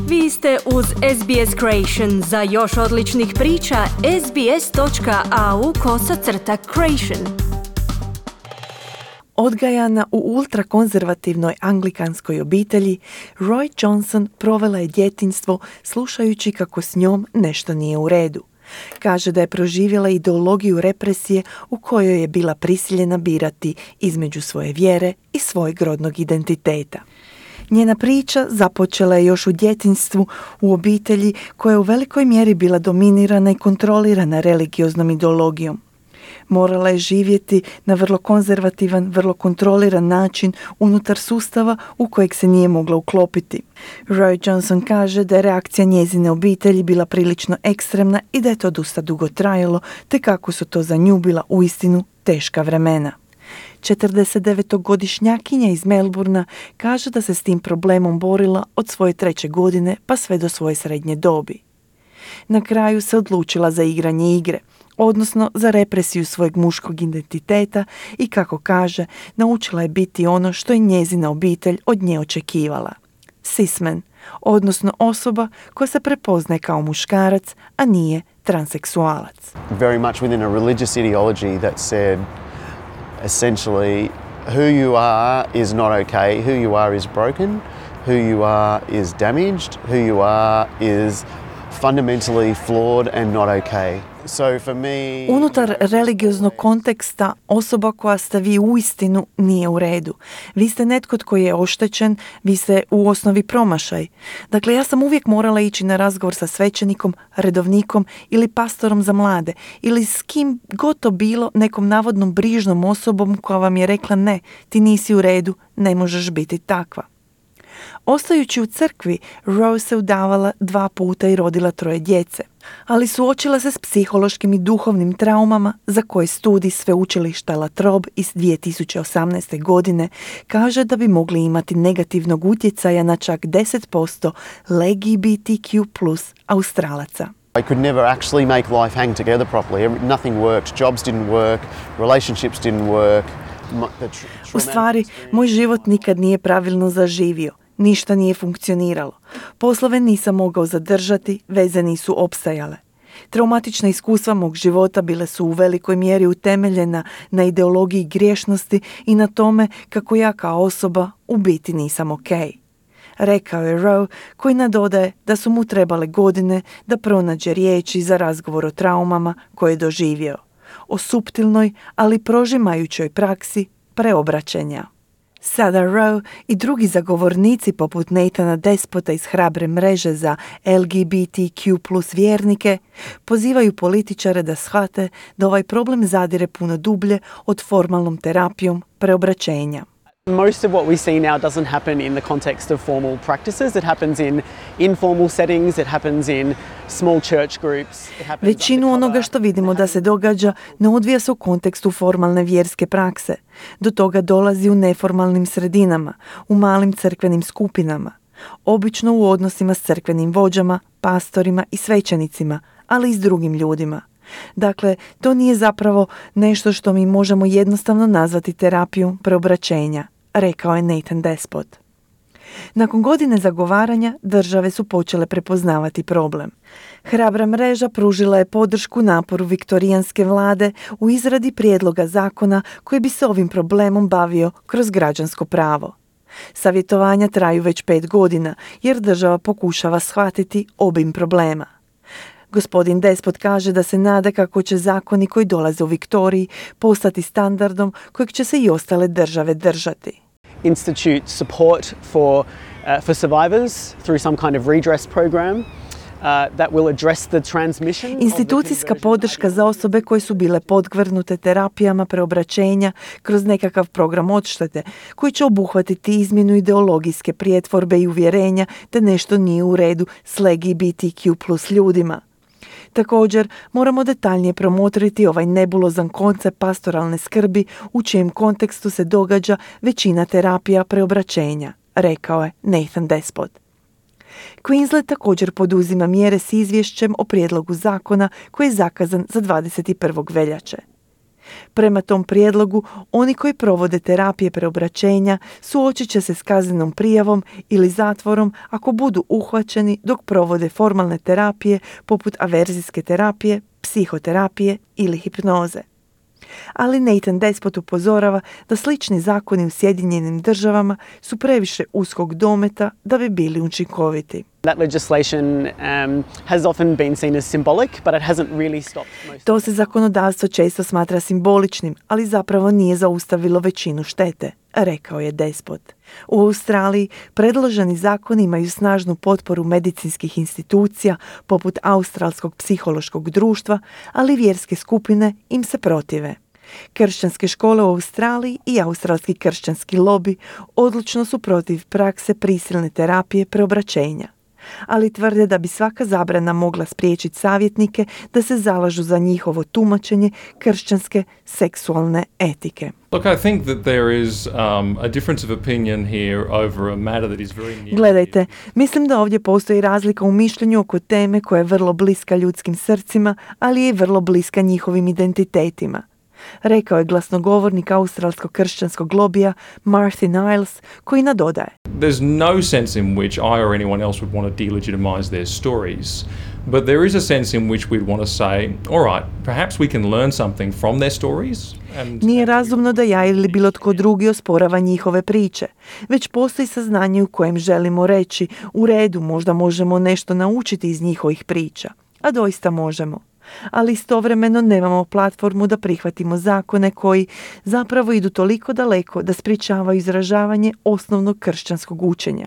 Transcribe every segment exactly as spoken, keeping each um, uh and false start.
Vi ste uz S B S Creation. Za još odličnih priča, sbs.au kosacrta creation. Odgajana u ultrakonzervativnoj anglikanskoj obitelji, Roy Johnson provela je djetinjstvo slušajući kako s njom nešto nije u redu. Kaže da je proživjela ideologiju represije u kojoj je bila prisiljena birati između svoje vjere i svojeg rodnog identiteta. Njena priča započela je još u djetinjstvu u obitelji koja je u velikoj mjeri bila dominirana i kontrolirana religioznom ideologijom. Morala je živjeti na vrlo konzervativan, vrlo kontroliran način unutar sustava u kojeg se nije mogla uklopiti. Roy Johnson kaže da je reakcija njezine obitelji bila prilično ekstremna i da je to dosta dugo trajalo, te kako su to za nju bila uistinu teška vremena. četrdesetdevetogodišnjakinja iz Melbourna kaže da se s tim problemom borila od svoje treće godine pa sve do svoje srednje dobi. Na kraju se odlučila za igranje igre, odnosno za represiju svojeg muškog identiteta i, kako kaže, naučila je biti ono što je njezina obitelj od nje očekivala. Cisman, odnosno osoba koja se prepoznaje kao muškarac, a nije transseksualac. Very much within a religious ideology that said essentially who you are is not okay, who you are is broken, who you are is damaged, who you are is fundamentally flawed and not okay. So for me, unutar religioznog konteksta osoba koja ste vi uistinu nije u redu. Vi ste netko tko je oštećen, vi ste u osnovi promašaj. Dakle, ja sam uvijek morala ići na razgovor sa svećenikom, redovnikom ili pastorom za mlade ili s kim god to bilo, nekom navodnom brižnom osobom koja vam je rekla ne, ti nisi u redu, ne možeš biti takva. Ostajući u crkvi, Rose se udavala dva puta i rodila troje djece, ali suočila se s psihološkim i duhovnim traumama za koje studij sveučilišta La Trobe iz dvije tisuće osamnaeste. godine kaže da bi mogli imati negativnog utjecaja na čak deset posto L G B T Q plus Australaca. I could never actually make life hang together properly. Nothing worked. Jobs didn't work. Relationships didn't work. U stvari, moj život nikad nije pravilno zaživio. Ništa nije funkcioniralo. Poslove nisam mogao zadržati, veze nisu opstajale. Traumatična iskustva mog života bile su u velikoj mjeri utemeljena na ideologiji griješnosti i na tome kako ja kao osoba u biti nisam okej. Rekao je Rowe, koji nadodaje da su mu trebale godine da pronađe riječi za razgovor o traumama koje je doživio. O suptilnoj, ali prožimajućoj praksi preobraćenja. Sada Rowe i drugi zagovornici poput Nathana Despota iz hrabre mreže za L G B T Q plus vjernike pozivaju političare da shvate da ovaj problem zadire puno dublje od formalnom terapijom preobraćenja. Most of what we see now doesn't happen in the context of formal practices. It happens in informal settings, it happens in small church groups. Većinu onoga što vidimo da se događa ne odvija se u kontekstu formalne vjerske prakse. Do toga dolazi u neformalnim sredinama, u malim crkvenim skupinama, obično u odnosima s crkvenim vođama, pastorima i svećenicima, ali i s drugim ljudima. Dakle, to nije zapravo nešto što mi možemo jednostavno nazvati terapijom preobraćenja, rekao je Nathan Despot. Nakon godine zagovaranja, države su počele prepoznavati problem. Hrabra mreža pružila je podršku naporu viktorijanske vlade u izradi prijedloga zakona koji bi se ovim problemom bavio kroz građansko pravo. Savjetovanja traju već pet godina jer država pokušava shvatiti obim problema. Gospodin Despot kaže da se nada kako će zakoni koji dolaze u Viktoriji postati standardom kojeg će se i ostale države držati. Institute support for, uh, for survivors through some kind of redress program. Uh, that will address the transmission. Institucijska podrška za osobe koje su bile podvrgnute terapijama preobraćenja kroz nekakav program odštete koji će obuhvatiti izmjenu ideologijske prijetvorbe i uvjerenja da nešto nije u redu s L G B T Q plus ljudima. Također, moramo detaljnije promotriti ovaj nebulozan koncept pastoralne skrbi u čijem kontekstu se događa većina terapija preobraćenja, rekao je Nathan Despot. Queensland također poduzima mjere s izvješćem o prijedlogu zakona koji je zakazan za dvadeset prvog veljače. Prema tom prijedlogu, oni koji provode terapije preobraćenja suočit će se s kaznenom prijavom ili zatvorom ako budu uhvaćeni dok provode formalne terapije poput averzijske terapije, psihoterapije ili hipnoze. Ali Nathan Despot upozorava da slični zakoni u Sjedinjenim državama su previše uskog dometa da bi bili učinkoviti. That legislation um, has often been seen as symbolic, but it hasn't really stopped most. To se zakonodavstvo često smatra simboličnim, ali zapravo nije zaustavilo većinu štete, rekao je Despot. U Australiji predloženi zakoni imaju snažnu potporu medicinskih institucija poput Australskog psihološkog društva, ali vjerske skupine im se protive. Kršćanske škole u Australiji i australski kršćanski lobi odlučno su protiv prakse prisilne terapije preobraćenja, ali tvrde da bi svaka zabrana mogla spriječiti savjetnike da se zalažu za njihovo tumačenje kršćanske seksualne etike. Look, I think that there is um, a difference of opinion here over a matter that is very near. Gledajte, mislim da ovdje postoji razlika u mišljenju oko teme koja je vrlo bliska ljudskim srcima, ali je vrlo bliska njihovim identitetima, rekao je glasnogovornik australskog kršćanskog lobija Martin Niles, koji nadodaje. There's no sense in which I or anyone else would want to delegitimize their stories, but there is a sense in which we'd want to say, all right, perhaps we can learn something from their stories. And Nije razumno da ja ili bilo tko drugi osporava njihove priče, već postoji saznanje u kojem želimo reći, u redu, možda možemo nešto naučiti iz njihovih priča, a doista možemo. Ali istovremeno nemamo platformu da prihvatimo zakone koji zapravo idu toliko daleko da sprječavaju izražavanje osnovnog kršćanskog učenja.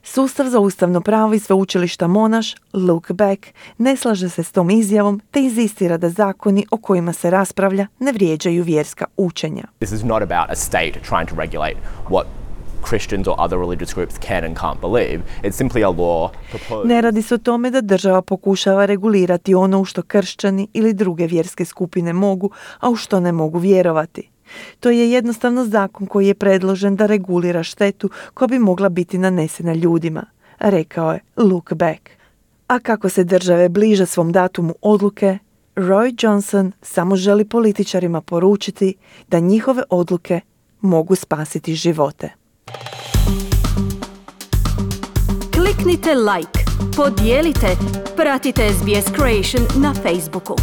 Sustav za ustavno pravo iz sveučilišta Monash, Luke Beck, ne slaže se s tom izjavom te inzistira da zakoni o kojima se raspravlja ne vrijeđaju vjerska učenja. This is not about a state trying to regulate what Christians or other religious groups can and can't believe. It's simply a law proposed. Ne radi se o tome da država pokušava regulirati ono u što kršćani ili druge vjerske skupine mogu, a u što ne mogu vjerovati. To je jednostavno zakon koji je predložen da regulira štetu koja bi mogla biti nanesena ljudima, rekao je Luke Beck. A kako se države bliže svom datumu odluke, Roy Johnson samo želi političarima poručiti da njihove odluke mogu spasiti živote. Kliknite like, podijelite, pratite S B S Creation na Facebooku.